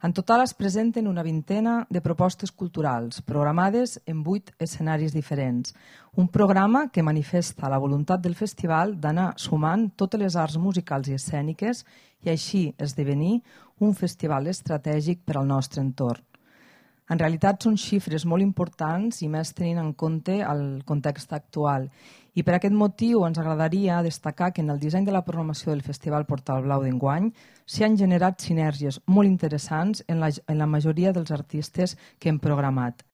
En total es presenten una vintena de propostes culturals, programades en 8 escenaris diferents. Un programa que manifesta la voluntat del festival d'anar sumant totes les arts musicals i escèniques i així esdevenir un festival estratègic per al nostre entorn. En realitat són xifres molt importants i més tenint en compte el context actual. I per aquest motiu ens agradaria destacar que en el disseny de la programació del Festival Portal Blau d'enguany s'hi han generat sinergies molt interessants en la majoria dels artistes que hem programat.